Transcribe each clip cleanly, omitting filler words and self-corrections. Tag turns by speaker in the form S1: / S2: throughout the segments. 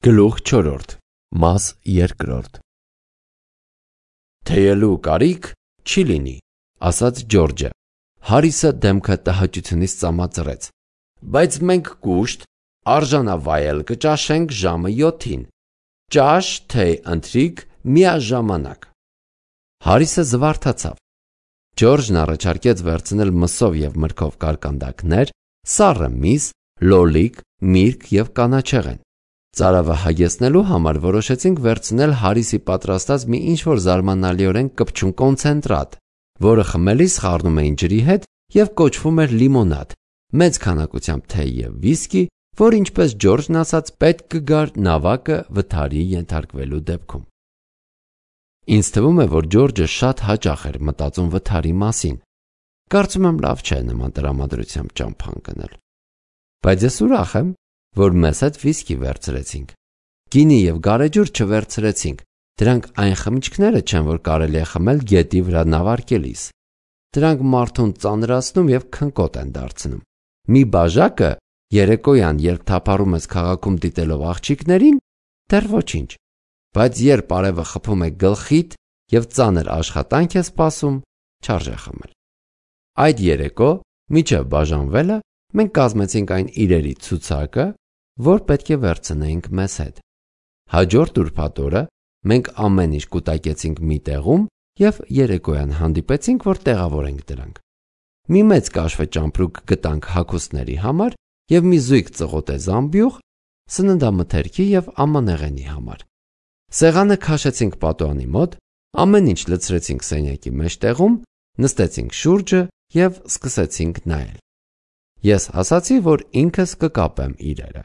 S1: Գլուխ 4 Մաս 2 Թեյելու կարիք չի լինի, ասաց Ջորջը։ Հարիսը դեմքը տհաճությունից ծամածրեց։ Բայց մենք կուշտ արժանավայել կճաշենք ժամը 7-ին։ Ճաշ, թեյ ընթրիք միաժամանակ։ Հարիսը զվարթացավ։ Ջորջն առաջարկեց վերցնել մսով և մրգով կարկանդակներ, սառը միս, լոլիկ, միրգ և կանաչեղեն։ Ծարավը հագեցնելու համար որոշեցինք վերցնել Հարիսի պատրաստած մի ինչ-որ զարմանալիորեն կպչուն կոնցենտրատ, որը խմելիս խառնում էին ջրի հետ և կոչվում էր լիմոնադ, մեծ քանակությամբ թեյ և վիսկի, որ ինչպես Ջորջն ասաց, պետք կգար նավակը վթարի ենթարկվելու դեպքում։ Ինձ թվում է, որ Ջորջը շատ հաճախ էր մտածում վթարի մասին։ Կարծում եմ լավ չէ նման տրամադրությամբ ճամփա ընկնել։ Բայց ես ուրախ եմ, որ մեզ հետ վիսկի վերցրեցինք։ Գինի և գարեջուր չվերցրեցինք, դրանք այն խմիչքները չեն, որ կարելի է խմել գետի վրա նավարկելիս։ Դրանք մարդուն ծանրացնում և քնկոտ են դարձնում։ Մի բաժակը երեկոյան, երբ թափառում ես քաղաքում դիտելով աղջիկներին, դեռ ոչինչ, բայց երբ արևը խփում է գլխիդ և ծանր աշխատանք է սպասում, չարժե խմել։ Այդ երեկո, մինչև բաժանվելը, մենք կազմեցինք այն իրերի ցուցակը, որ պետք է վերցնեինք մեզ հետ։ Հաջորդ ուրբաթ օրը մենք ամեն ինչ կուտակեցինք մի տեղում և երեկոյան հանդիպեցինք, որ տեղավորենք դրանք։ Մի մեծ կաշվե ճամպրուկ գտանք հագուստների համար և մի զույգ ծղոտե զամբյուղ սննդամթերքի և ամանեղենի համար։ Սեղանը քաշեցինք պատուհանի մոտ, ամեն ինչ լցրեցինք սենյակի մեջտեղում, նստեցինք շուրջը և սկսեցինք նայել։ Ես ասացի, որ ինքս կկապեմ իրերը։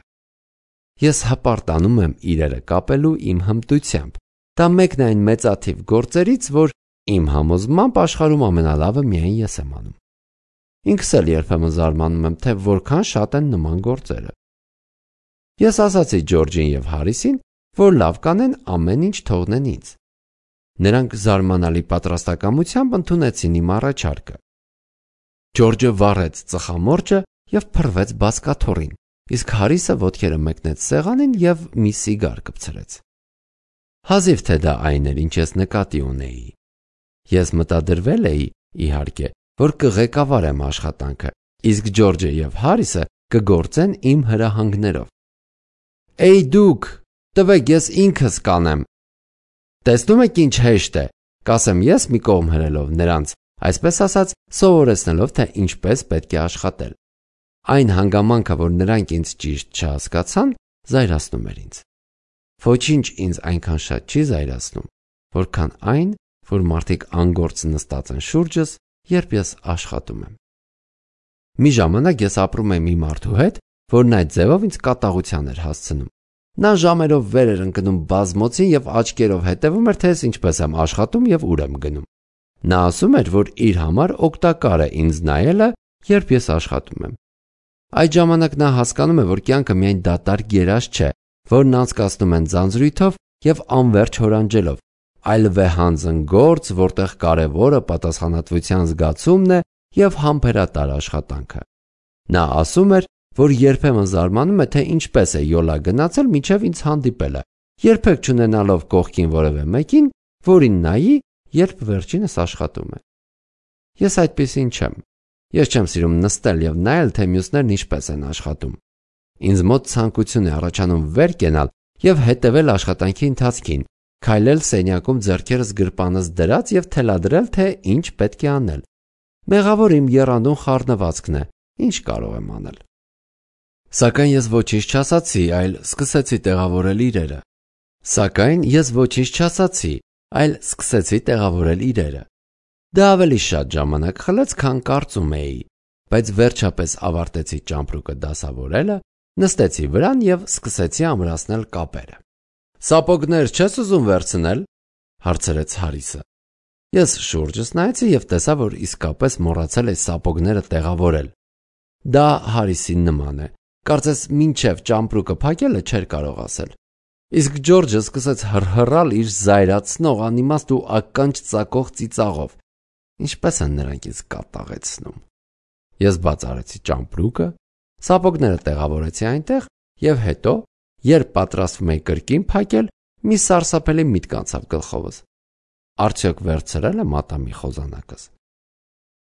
S1: Ես հպարտանում եմ իրերը կապելու իմ հմտությամբ։ Դա մեկն այն մեծաթիվ գործերից, որ իմ համոզմամբ աշխարհում ամենալավը միայն ես եմ անում։ Ինքս էլ երբեմն զարմանում եմ, թե որքան շատ են նման գործերը։ Ես ասացի Ջորջին և Հարիսին, որ լավ կանեն ամեն ինչ թողնեն ինձ։ Նրանք զարմանալի պատրաստակամությամբ ընդունեցին իմ առաջարկը։ Ջորջը վառեց ծխամորճը և փռվեց բազկաթոռին, իսկ Հարիսը ոտքերը մեկնեց սեղանին և մի սիգար կպցրեց։ Հազիվ թե դա այն էր, ինչ ես նկատի ունեի։ Ես մտադրվել էի, իհարկե, որ կղեկավարեմ աշխատանքը, իսկ Ջորջը և Հարիսը կգործեն իմ հրահանգներով։ Էй դուք, տվեք ես ինքս կանեմ։ Տեսնում եք ինչ հեշտ է, կասեմ ես մի կողմ հրելով նրանց, այսպես ասած, սովորեցնելով, թե ինչպես պետք է աշխատել։ Այն հանգամանքը, որ նրանք ինձ ճիշտ չհասկացան, զայրացնում էր ինձ։ Ոչինչ ինձ այնքան շատ չի զայրացնում, որքան այն, որ մարդիկ անգործ նստած են շուրջս, երբ ես աշխատում եմ։ Մի ժամանակ ես ապրում եմ մի մարդու հետ, որն այդ ձևով ինձ կատաղության էր հասցնում։ Նա ժամերով վեր էր ընկնում բազմոցին և աչքերով հետևում էր, թե ես ինչպես եմ աշխատում և ուր եմ գնում։ Նա ասում էր, որ իր համար օգտակար է ինձ նայելը, երբ ես աշխատում եմ։ Այդ ժամանակ նա հասկանում է, որ կյանքը միայն դատարկ երազ չէ, որն անցկացնում են ձանձրույթով և անվերջ հորանջելով, այլ վեհանձն գործ, որտեղ կարևորը պատասխանատվության զգացումն է և համբերատար աշխատանքը։ Նա ասում էր, որ երբեմն զարմանում է, թե ինչպես է յոլա գնացել մինչև ինձ հանդիպելը, երբեք չունենալով կողքին որևէ մեկին, որին նայի, երբ վերջինս աշխատում է։ Ես այդպիսին չեմ։ Ես չեմ սիրում նստել և նայել, թե մյուսներն ինչպես են աշխատում։ Ինձ մոտ ցանկություն է առաջանում վեր կենալ և հետևել աշխատանքի ընթացքին, քայլել սենյակում ձեռքերս գրպանս դրած և թելադրել, թե ինչ պետք է անել։ Մեղավոր իմ եռանդուն խառնվածքն է, ինչ կարող եմ անել։ Սակայն ես ոչինչ չասացի, այլ սկսեցի տեղավորել իրերը։ Դա ավելի շատ ժամանակ խլեց, քան կարծում էի, բայց վերջապես ավարտեցի ճամպրուկը դասավորելը, նստեցի վրան և սկսեցի ամրացնել կապերը։ Սապոգներ չես ուզում վերցնել, հարցրեց Հարիսը։ Ես շուրջս նայեցի և տեսա, որ իսկապես մոռացել էի սապոգները տեղավորել։ Դա Հարիսին նման է, կարծես մինչև ճամպրուկը փակելը չէր կարող ասել։ Իսկ Ջորջը սկսեց հռհռալ իր զայրացնող, անիմաստ ու ականջ ծակող ծիծաղով։ Ինչպես են նրանք ինձ կատաղեցնում։ Ես բաց արեցի ճամպրուկը, սապոգները տեղավորեցի այնտեղ և հետո, Երբ պատրաստվում էի կրկին փակել, մի սարսափելի միտք անցավ գլխովս. արդյոք վերցրել եմ ատամի խոզանակս։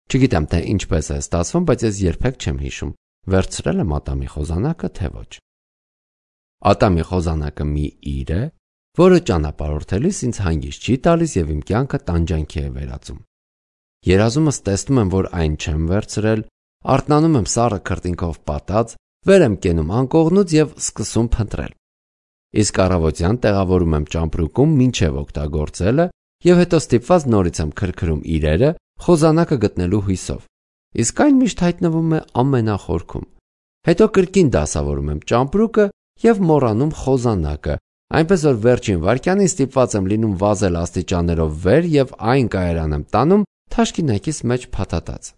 S1: Չգիտեմ, թե ինչպես է ստացվում, բայց ես երբեք չեմ հիշում, վերցրել եմ ատամի խոզանակը, թե ոչ։ Ատամի խոզանակը մի իր է, որը ճանապարհորդելիս ինձ հանգիստ չի տալիս եւ իմ կյանքը տանջանքի է վերածում։ Երազումս տեսնում եմ, որ այն չեմ վերցրել, արթնանում եմ սառը քրտինքով պատած, վեր եմ կենում անկողնուց եւ սկսում փնտրել։ Իսկ առավոտյան տեղավորում եմ ճամպրուկում մինչև օգտագործելը եւ հետո ստիպված նորից եմ քրքրում իրերը խոզանակը գտնելու հույսով։ Իսկ այն միշտ հայտնվում է ամենախորքում։ Հետո կրկին դասավորում եմ ճամպրուկը եւ մոռանում խոզանակը, այնպես որ վերջին վայրկյանին ստիպված եմ լինում վազել աստիճաններով վեր եւ այն կայարան եմ տանում թաշկինակիս մեջ փաթաթած։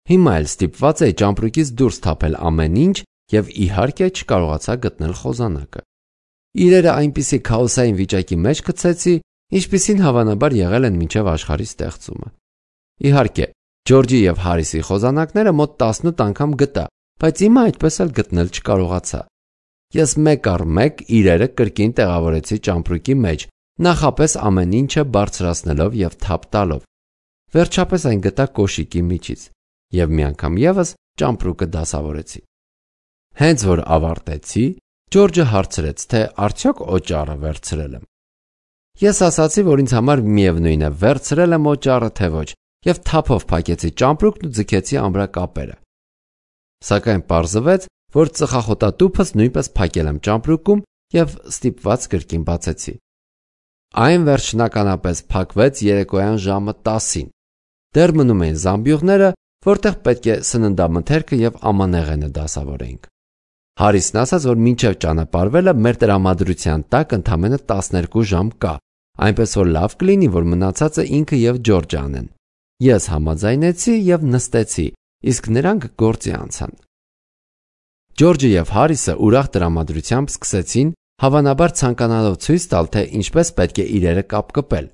S1: Հիմա էլ ստիպված էի ճամպրուկից դուրս թափել ամեն ինչ եւ իհարկե չկարողացա գտնել խոզանակը։ Իրերը այնպիսի քաոսային վիճակի մեջ գցեցի, ինչպիսին հավանաբար եղել են մինչև աշխարհի ստեղծումը։ Իհարկե, Ջորջի եւ Հարիսի խոզանակները մոտ 18 անգամ գտա, բայց հիմա այդպես էլ գտնել չկարողացա։ Ես մեկ առ մեկ իրերը կրկին տեղավորեցի ճամպրուկի մեջ, նախապես ամեն ինչը բարձրացնելով եւ թափ տալով։ Վերջապես այն գտա կոշիկի միջից եւ մի անգամ եւս ճամպրուկը դասավորեցի։ Հենց որ ավարտեցի, Ջորջը հարցրեց, թե արդյոք օճառը վերցրել եմ։ Ես ասացի, որ ինձ համար միևնույն է, վերցրել եմ օճառը թե ոչ, եւ թափով փակեցի ճամպրուկն ու ձգեցի ամրակապերը։ Սակայն պարզվեց, որ ծխախոտատուփս նույնպես փակել եմ ճամպրուկում եւ ստիպված կրկին բացեցի։ Այն վերջնականապես փակվեց երեկոյան ժամը 10-ին։ Դեռ մնում էին զամբյուղները, որտեղ պետք է սննդամթերքը եւ ամանեղենը դասավորեինք։ Հարիսն ասաց, որ մինչև ճանապարհվելը մեր տրամադրության տակ ընդամենը 12 ժամ կա, այնպես որ լավ կլինի, որ մնացածը ինքը եւ Ջորջը անեն։ Ես համաձայնեցի եւ նստեցի, իսկ նրանք գործի անցան։ Ջորջը եւ Հարիսը ուրախ տրամադրությամբ սկսեցին, հավանաբար ցանկանալով ցույց տալ, թե ինչպես պետք է իրերը կապկպել։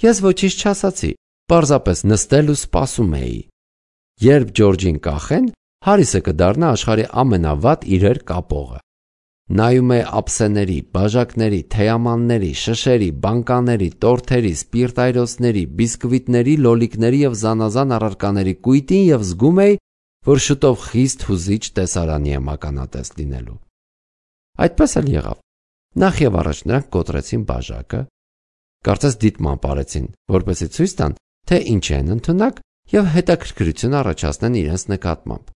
S1: Ես ոչինչ չասացի, պարզապես նստել ու սպասում էի։ Երբ Ջորջին կախեն, Հարիսը կդառնա աշխարհի ամենավատ իրեր կապողը։ Նայում է ափսեների, բաժակների, թեյամանների, շշերի, բանկաների, տորթերի, սպիրտայրոցների, բիսկվիտների, լոլիկների եւ զանազան առարկաների կույտին եւ զգում էի, որ շուտով խիստ հուզիչ տեսարանի եմ ականատես լինելու։ Այդպես էլ եղավ։ Նախ եւ առաջ նրանք կոտրեցին բաժակը, կարծես դիտման արեցին, որպեսզի ցույց տան, թե ինչ են ընդունակ եւ հետաքրքրություն առաջացնեն իրենց նկատմամբ։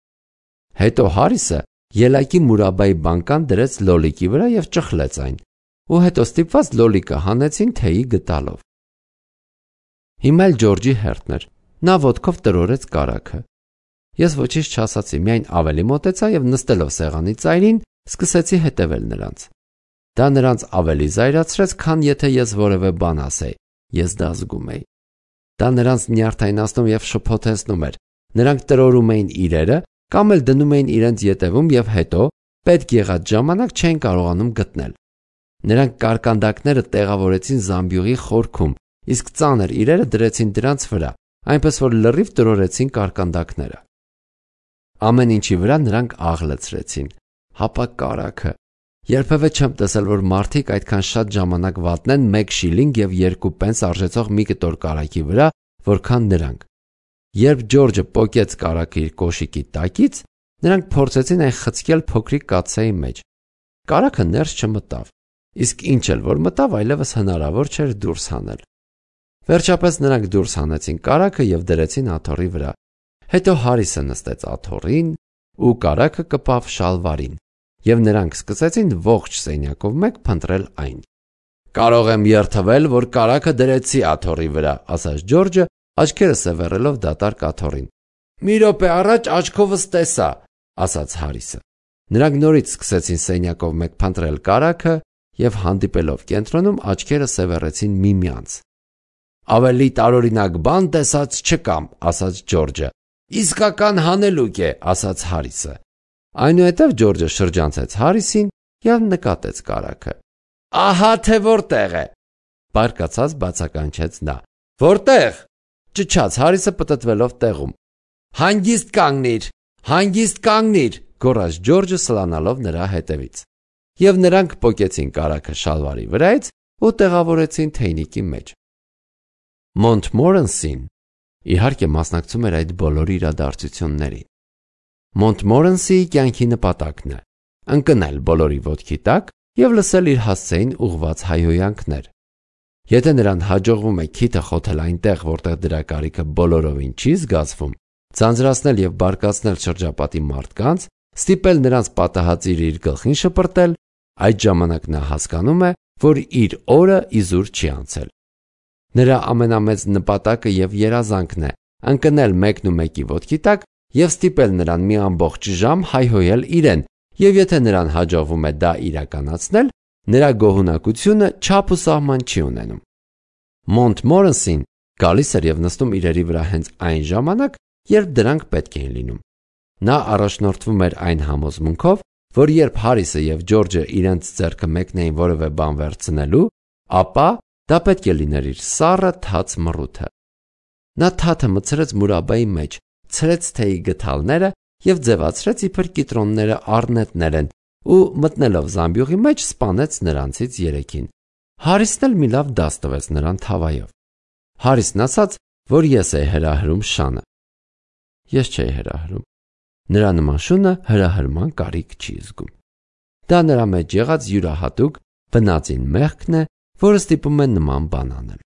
S1: Հետո Հարիսը ելակի մուրաբայի բանկան դրեց լոլիկի վրա եւ ճխլեց այն, ու հետո ստիպված լոլիկը հանեցին թեյի գտալով։ Հիմա էլ Ջորջի հերթն էր, նա ոտքով տրորեց կարագը։ Ես ոչինչ չասացի, միայն ավելի մոտեցա եւ նստելով սեղանի ծայրին, սկսեցի հետևել նրանց։ Դա նրանց ավելի զայրացրեց, քան եթե ես որևէ բան ասեի, ես դա զգում էի։ Դա նրանց նյարդայնացնում եւ շփոթեցնում էր։ Նրանք տրորում էին իրերը կամ էլ դնում էին իրենց ետևում եւ հետո պետք եղած ժամանակ չեն կարողանում գտնել։ Նրանք կարկանդակները տեղավորեցին զամբյուղի խորքում, իսկ ծանր իրերը դրեցին դրանց վրա, այնպես որ լրիվ տրորեցին կարկանդակները։ Ամեն ինչի վրա նրանք աղլեցրեցին, հապա կարագը։ Երբևէ չեմ տեսել, որ մարդիկ այդքան շատ ժամանակ վատնեն 1 շիլինգ եւ 2 պենս արժեցող մի կտոր կարագի վրա, որքան նրանք։ Երբ Ջորջը պոկեց կարագը իր կոշիկի տակից, նրանք փորձեցին այն խցկել փոքրիկ կաթսայի մեջ։ Կարագը ներս չմտավ, իսկ ինչ էլ որ մտավ, այլևս հնարավոր չէր դուրս հանել։ Վերջապես նրանք դուրս հանեցին կարագը եւ դրեցին աթոռի վրա։ Հետո Հարիսը նստեց աթոռին ու կարագը կպավ շալվարին, եւ նրանք սկսեցին ողջ սենյակով մեկ փնտրել այն։ Կարող եմ երթվել, որ կարագը դրեցի աթոռի վրա, ասաց Ջորջը, աչքերը սևեռելով դատարկ աթոռին։ Մի րոպե առաջ աչքովս տեսա, ասաց Հարիսը։ Նրանք նորից սկսեցին սենյակով մեկ փնտրել կարագը եւ հանդիպելով կենտրոնում աչքերը սևեռեցին միմյանց։ Ավելի տարօրինակ բան տեսած չկամ, ասաց Ջորջը։ Իսկական հանելուկ է, ասաց Հարիսը։ Այնուհետև Ջորջը շրջանցեց Հարիսին եւ նկատեց կարագը։ Ահա թե որտեղ է, բարկացած բացականչեց նա։ Որտեղ, ճչաց Հարիսը պտտվելով տեղում։ Հանգիստ կանգնիր, գոռաց Ջորջը սլանալով նրա հետևից։ և նրանք պոկեցին կարագը շալվարի վրայից ու տեղավորեցին թեյնիկի մեջ։ Մոնտմորենսին իհարկե մասնակցում էր այդ բոլոր իրադարձություններին։ Մոնտմորենսիի կյանքի նպատակն է ընկնել բոլորի ոտքի տակ և լսել իր հասցեին ուղղված հայհոյանքներ։ Եթե նրան հաջողվում է քիթը խոթել այնտեղ, որտեղ դրա կարիքը բոլորովին չի զգացվում, ձանձրացնել և բարկացնել շրջապատի մարդկանց, ստիպել նրանց պատահածիր իր գլխին շպրտել, այդ ժամանակ նա հասկանում է, որ իր օրը իզուր չի անցել։ Նրա ամենամեծ նպատակը և երազանքն է ընկնել մեկնումեկի ոտքի տակ և ստիպել նրան մի ամբողջ ժամ հայհոյել իրեն, և եթե նրան հաջողվում է դա իրականացնել, նրա գոհունակությունը չափ ու սահման չի ունենում։ Մոնտմորենսին գալիս էր և նստում իրերի վրա հենց այն ժամանակ, երբ դրանք պետք էին լինում։ Նա առաջնորդվում էր այն համոզմունքով, որ երբ Հարիսը և Ջորջը իրենց ձեռքը մեկնեին որևէ բան վերցնելու, ապա դա պետք է լիներ իր սառը թաց մռութը։ Նա թաթը մտցրեց մուրաբայի մեջ, ցրեց թեյի գդալները և ձևացրեց, իբր կիտրոնները առնետներ են, ու մտնելով զամբյուղի մեջ սպանեց նրանցից երեքին։ Հարիսն էլ մի լավ դաս տվեց նրան թավայով։ Հարիսն ասաց, որ ես էի հրահրում շանը։ Ես չէի հրահրում։ Նրա նման շունը հրահրման կարիք չի զգում։ Դա նրա մեջ եղած յուրահատուկ բնածին մեղքն է, որը ստիպում է նման բան անել։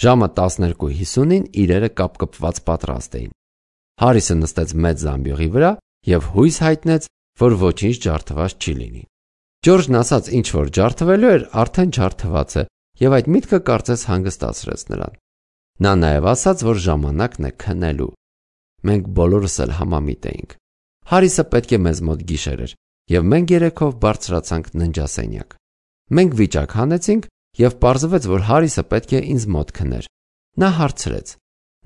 S1: Ժամը 12:50-ին իրերը կապկպված պատրաստ էին։ Հարիսը նստեց մեծ զամբյուղի վրա և հույս հայտնեց, որ ոչինչ ջարդված չի լինի։ Ջորջն ասաց, ինչ որ ջարդվելու էր, արդեն ջարդված է, և այդ միտքը կարծես հանգստացրեց նրան։ Նա նաև ասաց, որ ժամանակն է քնելու։ Մենք բոլորս էլ համամիտ էինք։ Հարիսը պետք է մեզ մոտ գիշեր էր, և մենք երեքով բարձրացանք ննջասենյակ։ Մենք վիճակ հանեցինք, և պարզվեց, որ Հարիսը պետք է ինձ մոտ քներ։ Նա հարցրեց.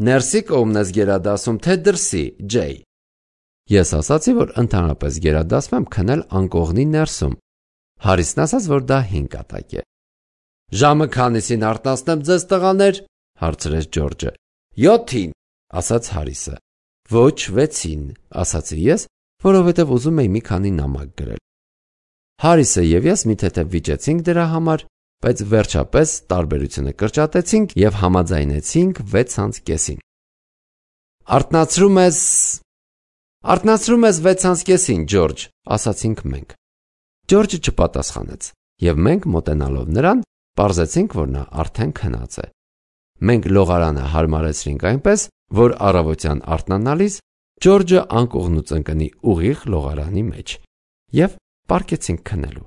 S1: «Ներսի կողմն ես գերադասում, թե դրսի, Ջեյ»։ Ես ասացի, որ ընդհանրապես գերադասում եմ քնել անկողնի ներսում։ Հարիսն ասաց, որ դա 5 կատակ է։ «Ժամը քանիսին արթնացնեմ ձեզ, տղաներ», հարցրեց Ջորջը։ 7-ին, ասաց Հարիսը։ Ոչ, 6-ին, ասացի ես, որովհետև ուզում էի մի քանի նամակ գրել։ Հարիսը և ես մի թեթև վիճեցինք դրա համար, բայց վերջապես տարբերությունը կրճատեցինք և համաձայնեցինք 6:30-ին։ Արթնացրում ես 6:30-ին, Ջորջ, ասացինք մենք։ Ջորջը չպատասխանեց, և մենք մոտենալով նրան, պարզեցինք, որ նա արդեն քնած է։ Մենք լողարանը հարմարեցրինք այնպես, որ առավոտյան արթնանալիս Ջորջը անկողնուց ընկնի ուղիղ լողարանի մեջ, և պառկեցինք քնելու։